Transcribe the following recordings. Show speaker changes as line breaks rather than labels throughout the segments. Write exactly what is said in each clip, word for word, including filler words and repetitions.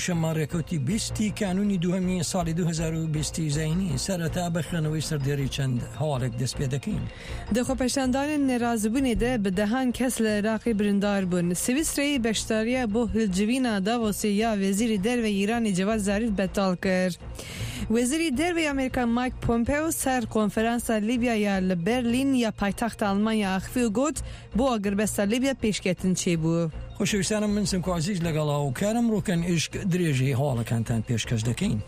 شەممە ڕێکەوتی بیستی کانوونی دووهەمی ساڵی دوو هەزار و بیست ی زایینی، سەرەتا بە خوێندنەوەی سەردێڕی چەند هەواڵێک دەست پێ دەکەین.
Di xwepêşandanên nerazîbûnê de bi dehan kes li Iraqê birîndar bûn. Swîsreyê beşdariya bo hilcivîna Davosê ya Wezîrê Derve yê Îranê Cevad Zarîf betal kir. Wezîrê Derve yê Amerîka Mike Pompeo ser konferansa Lîbya ya li Berlîn ya paytexta Almanya axivî û got, Bo agirbesta Lîbya pêşketin çêbû.
خۆشەویستانم من سمکۆ عەزیز لەگەڵ هاوکارم ڕوکەن ئیشک درێژەی هەواڵەکانتان پێشکەش دەکەین.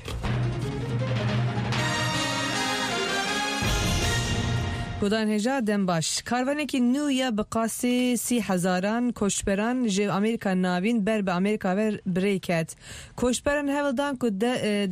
گودان هێژا دەم باش. Karvanekî nû ya bi qasî sî hezaran koçberan ji Amerîka Navîn ber bi Amerîka ve bi rê ket. Koçberan hewl dan ku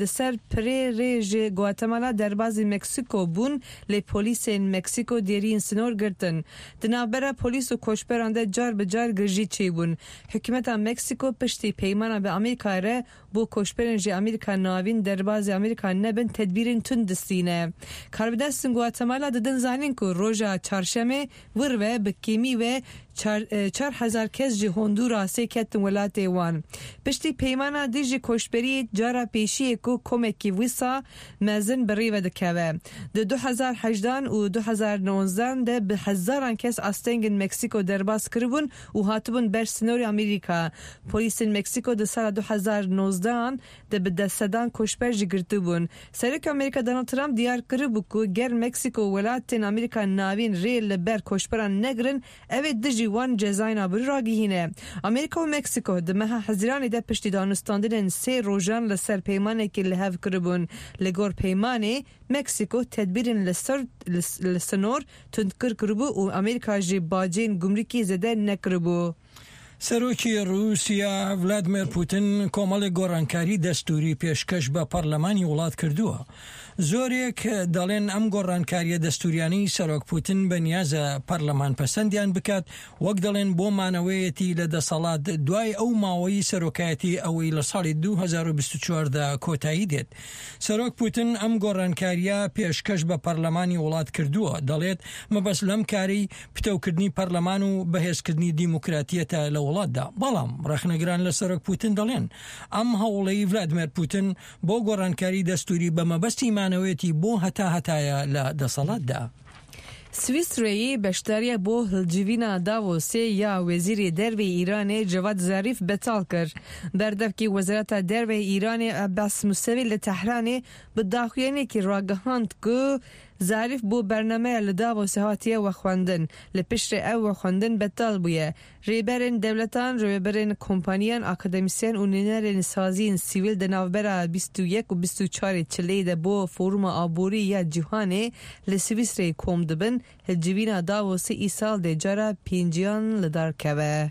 di ser pirê rê ji Guatemala derbazî Meksîko bûn lê polîsên Meksîko dêriyên sinor girtin. Di navbera polîs û koçberan de car bi car girjî çêbûn. Hikûmeta Meksîko piştî peymana bi Amerîkayê re bo koçberên ji Amerîka Navîn derbazî Amerîka nebin tedbîrên tund distîne. Karbidestên Guatemala didin zanîn ku roja çarşemê wir ve bi kêmî ve çar hezar kes ji Hondurasê ketin welatê wan. Piştî peymana dijî koçberiyê cara pêşiyê ku komekî wisa mezin bi rê ve dikeve. Di du hezar hejdan û du hezar nozdan de bi hezaran kes astengên Meksîko derbas kiribûn û hatibûn ber sinorê Amerîka. Polîsên Meksîko di sala du hezar nozdan de bi deh sedan koçber jî girtibûn. Serokê Amerîka Donald Trump diyar kiribû ku ger Meksîko welatên Amerîka Navîn rê li ber koçberan negirin, ew ê dijî wan cezayên aborî ragihîne. Amerîka û Meksîko di meha Hezîranê de piştî danûstandinên sê rojan li ser peymanekê li hev kiribûn. Li gor peymanê, Meksîko tedbîrên li ser li sinor tundkir kiribû û Amerîka jî bacên gumrikê zêde nekiribû.
سەرۆکی ڕووسیا ڤلادیمێر پوتن کۆمەڵێک گۆڕانکاری دەستوری پێشکەش بە پەرلەمانی وڵات کردووە. زۆرێک دەڵێن ئەم گۆڕانکاریە دەستوریانەی سەرۆک پوتن بەنیازە پەرلەمان پەسەندیان بکات، وەک دەڵێن بۆ مانەوەیەتی لە دەسەڵات دوای ئەو ماوەی سەرۆکایەتی ئەوەی لە ساڵی دوو هەزار و بیست و چوار دا کۆتایی دێت. سەرۆک پوتن ئەم گۆڕانکاریە پێشکەش بە پەرلەمانی وڵات کردووە، دەڵێت مەبەست لەم کارەی پتەوکردنی پەرلەمان و بەهێزکردنی دیموکراتیەتە لە وڵاتدا. بەڵام ڕەخنەگران لە سەرۆک پوتن دەڵێن ئەم هەوڵەی ڤلادیمێر پوتن بۆ گۆڕانکاری دەستوری بە مەبەستی مانەوەیەتی بۆ هەتا هەتایە لە دەسەڵاتدا.
Swîsreyê beşdariya bo hilcivîna Davosê ya Wezîrê Derve yê Îranê Cevad Zarîf betal kir. Berdevkê Wezareta Derve yê Îranê Abbas Musevî li Tehranê bi daxuyaniyekê ragihand ku Zarîf bo bernameya li Davosê hatiye vexwendin. Li piştre ew vexwendin betal bûye. Rêberên dewletan, rêveberên kompaniyan, akademîsyen û nûnerên saziyên sivîl di navbera bîst û yek û bîst û çarê çileyê de bo Foruma Aborî ya Cîhanê li Swîsreyê kom dibin. Hilcivîna Davosê îsal dê cara pênciyan li dar keve.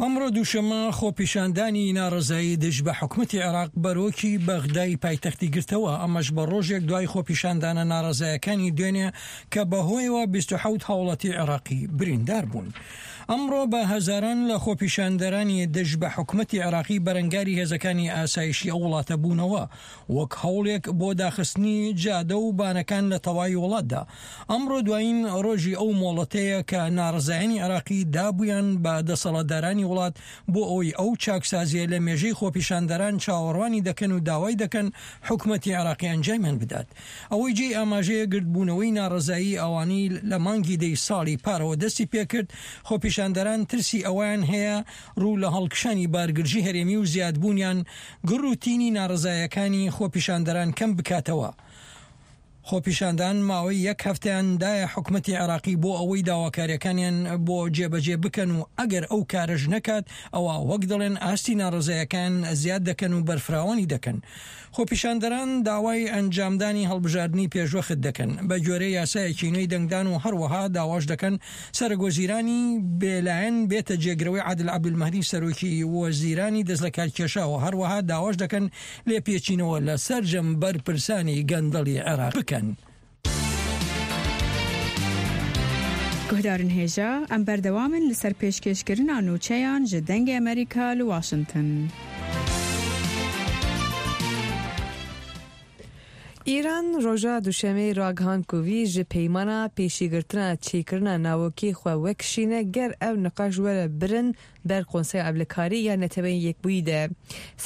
ئەمڕۆ دووشەممە خۆپیشاندانی ناڕەزایی دژ بە حکومەتی عێراق بەرۆکی بەغدای پایتەختی گرتەوە، ئەمەش بە ڕۆژێک دوای خۆپیشاندانە ناڕەزایەکانی دوێنێ کە بەهۆیەوە بیست و حەوت هاوڵاتی عێراقی بریندار بوون. ئەمڕۆ بە هەزاران لە خۆپیشاندەرانی دژ بە حکومەتی عێراقی بەرەنگاری هێزەکانی ئاسایشی ئەو وڵاتە بوونەوە وەک هەوڵێک بۆ داخستنی جادە و بانەکان لە تەواوی وڵاتدا. ئەمڕۆ دوایین ڕۆژی ئەو مۆڵەتەیە کە ناڕەزایانی عێراقی دابوویان بە دەسەڵاتدارانی وڵات بۆ ئەوەی ئەو چاکسازیە لە مێژەی خۆپیشاندەران چاوەڕوانی دەکەن و داوای دەکەن حکومەتی عێراقی ئەنجامیان بدات. ئەوەی جێی ئاماژەیە گردبوونەوەی ناڕەزایی ئەوانەی لە مانگی دەی ساڵی پارەوە دەستی پێکرد، خۆپیشاندەران ترسی ئەوەیان هەیە ڕوو لە هەڵکشانی بارگرژی هەرێمی و زیادبوونیان گڕ و تینی ناڕەزایەکانی خۆپیشاندەران کەم بکاتەوە. خۆپیشاندان ماوەی یەک هەفتەیان دایە حکومەتی عێراقی بۆ ئەوەی داواکاریەکانیان بۆ جێبەجێ بکەن و ئەگەر ئەو کارەش نەکات ئەوا وەک دەڵێن ئاستی ناڕەزایەکان زیاد دەکەن و بەرفراوانی دەکەن. خۆپیشاندەران داوای ئەنجامدانی هەڵبژاردنی پێشوەخت دەکەن بە گوێرەی یاسایەکی نوێی دەنگدان و هەروەها داواش دەکەن سەرۆکوەزیرانی بێلایەن بێتە جێگرەوەی عادل عەبدولمەهدی سەرۆکی وەزیرانی دەستلەکارکێشاوە، هەروەها داواش دەکەن لێپێچینەوە لە سەرجەم بەرپرسانی گەندەڵی عێراق بکەن.
Guhdarên hêja, em berdewam in li ser pêşkêşkirina nûçeyan ji Dengê Amerîka li Washington.
Îran roja duşemê ragihand ku wî ji peymana pêşîgirtina çêkirina navokê xwe wekişîne ger ew niqaş were birin ber Konseya Ewlekarî ya Neteweyên Yekbûyî de.